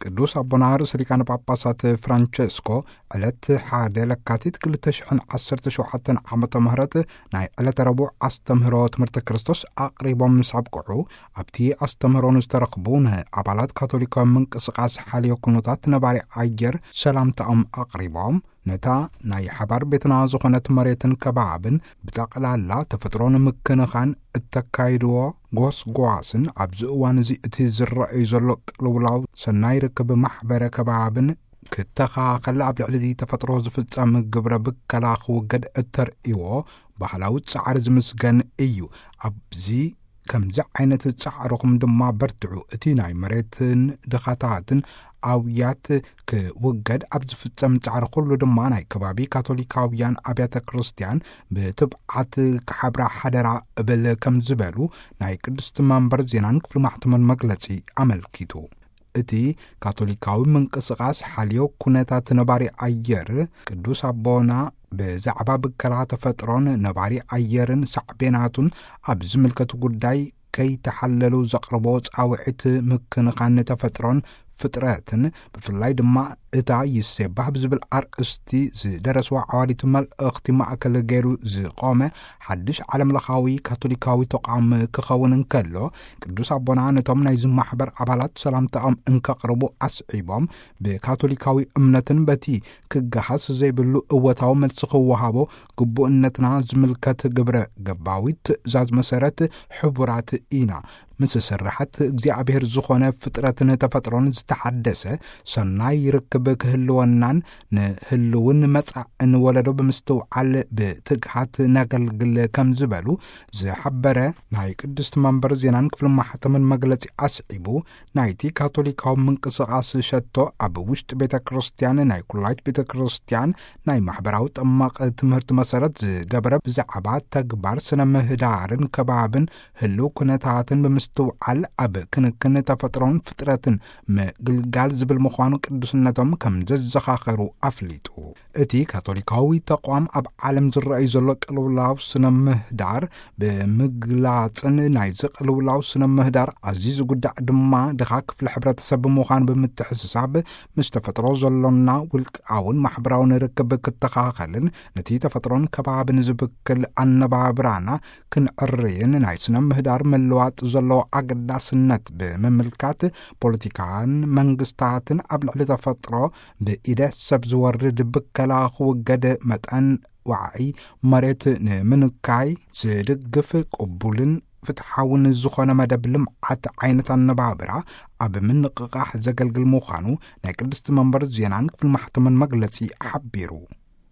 ቅዱስ ኣቦና ርእሰ ሊቃነ ጳጳሳት ፍራንቸስኮ ዕለት ሓደ ለካቲት ክልተ ሽሕን ዓሰርተ ሸውዓተን ዓመተ ምህረት ናይ ዕለተ ረቡዕ ኣስተምህሮ ትምህርተ ክርስቶስ ኣቕሪቦም ምስ ኣብቅዑ፣ ኣብቲ ኣስተምህሮ ንዝተረኽቡ ንኣባላት ካቶሊካዊ ምንቅስቃስ ሓልዮ ኩነታት ነባሪ ኣየር ሰላምታኦም ኣቕሪቦም፣ ነታ ናይ ሓባር ቤትና ዝኾነት መሬትን ከባብን ብጠቕላላ ተፈጥሮ ንምክንኻን እተካይድዎ ጎስጓስን ኣብዚ እዋን እዚ እቲ ዝረኣዩ ዘሎ ቅልውላው ሰናይ ርክብ ማሕበረ ከባብን ክተኻኸል ኣብ ልዕሊ ተፈጥሮ ዝፍጸም ግብረ ብከላ ክውገድ እተርእይዎ ባህላዊ ጻዕሪ ዝምስገን እዩ። ኣብዚ ከምዚ ዓይነት ጻዕርኹም ድማ በርትዑ። እቲ ናይ መሬትን ድኻታትን ኣውያት ክውገድ ኣብ ዝፍጸም ጻዕሪ ኩሉ ድማ ናይ ከባቢ ካቶሊካውያን ኣብያተ ክርስቲያን ብትብዓት ክሓብራ ሓደራ እብል ከም ዝበሉ ናይ ቅድስቲ መንበር ዜናን ክፍሊ ማሕተምን መግለጺ ኣመልኪቱ። እቲ ካቶሊካዊ ምንቅስቃስ ሓልዮ ኩነታት ነባሪ ኣየር ቅዱስ ኣቦና ብዛዕባ ብከላ ተፈጥሮን ነባሪ ኣየርን ሳዕቤናቱን ኣብ ዝምልከቱ ጉዳይ ከይተሓለሉ ዘቕርቦ ጻውዒት ምክንኻን ተፈጥሮን ፍጥረትን፣ ብፍላይ ድማ እታ ይሴባህ ብዝብል ኣርእስቲ ዝደረስዋ ዓዋዲት መልእኽቲ ማእከል ገይሩ ዝቖመ ሓድሽ ዓለም ለኻዊ ካቶሊካዊ ተቋም ክኸውን እንከሎ፣ ቅዱስ ኣቦና ነቶም ናይዚ ማሕበር ኣባላት ሰላምታኦም እንከቕርቡ ኣስዒቦም፣ ብካቶሊካዊ እምነትን በቲ ክገሃስ ዘይብሉ እወታዊ መልሲ ክወሃቦ ግቡእነትና ዝምልከት ግብረ ገባዊ ትእዛዝ መሰረት ሕቡራት ኢና። ምስ ስርሓት እግዚኣብሔር ዝኾነ ፍጥረትን ተፈጥሮን ዝተሓደሰ ሰናይ ርክብ ክህልወናን ንህልውን መጻእን ወለዶ ብምስትውዓል ብትግሃት ነገልግል ከም ዝበሉ ዝሓበረ ናይ ቅድስቲ መንበር ዜናን ክፍሊ ማሕተምን መግለጺ ኣስዒቡ፣ ናይቲ ካቶሊካዊ ምንቅስቃስ ሸቶ ኣብ ውሽጢ ቤተ ክርስቲያን ናይ ኩላይት ቤተ ክርስቲያን ናይ ማሕበራዊ ጠማቕ ትምህርቲ መሰረት ዝገበረ ብዛዕባ ተግባር ስነ ምህዳርን ከባብን ህልው ኩነታትን ብምስትውዓል ኣብ ክንክን ተፈጥሮን ፍጥረትን ምግልጋል ዝብል ምዃኑ ቅዱስነቶም ከም ዘዘኻኸሩ ኣፍሊጡ። እቲ ካቶሊካዊ ተቋም ኣብ ዓለም ዝረኣዩ ዘሎ ቅልውላው ስነ ምህዳር ብምግላጽን ናይዚ ቅልውላው ስነ ምህዳር ኣዝዩ ዝጉዳእ ድማ ድኻ ክፍሊ ሕብረተሰብ ብምዃኑ ብምትሕስሳብ ምስ ተፈጥሮ ዘሎና ውልቃውን ማሕበራውን ርክብ ክተኻኸልን ነቲ ተፈጥሮን ከባብን ዝብክል ኣነባብራና ክንዕርይን ናይ ስነ ምህዳር ምልዋጥ ዘለዎ ኣገዳስነት ብምምልካት ፖለቲካን መንግስታትን ኣብ ልዕሊ ተፈጥሮ ብኢደ ሰብ ዝወርድ ብከላ ክውገድ መጠን ዋዕይ መሬት ንምንካይ ዝድግፍ ቅቡልን ፍትሓውን ዝኾነ መደብ ልምዓት ዓይነት ኣነባብራ ኣብ ምንቕቓሕ ዘገልግል ምዃኑ ናይ ቅድስቲ መንበር ዜናን ክፍሊ ማሕተምን መግለጺ ሓቢሩ።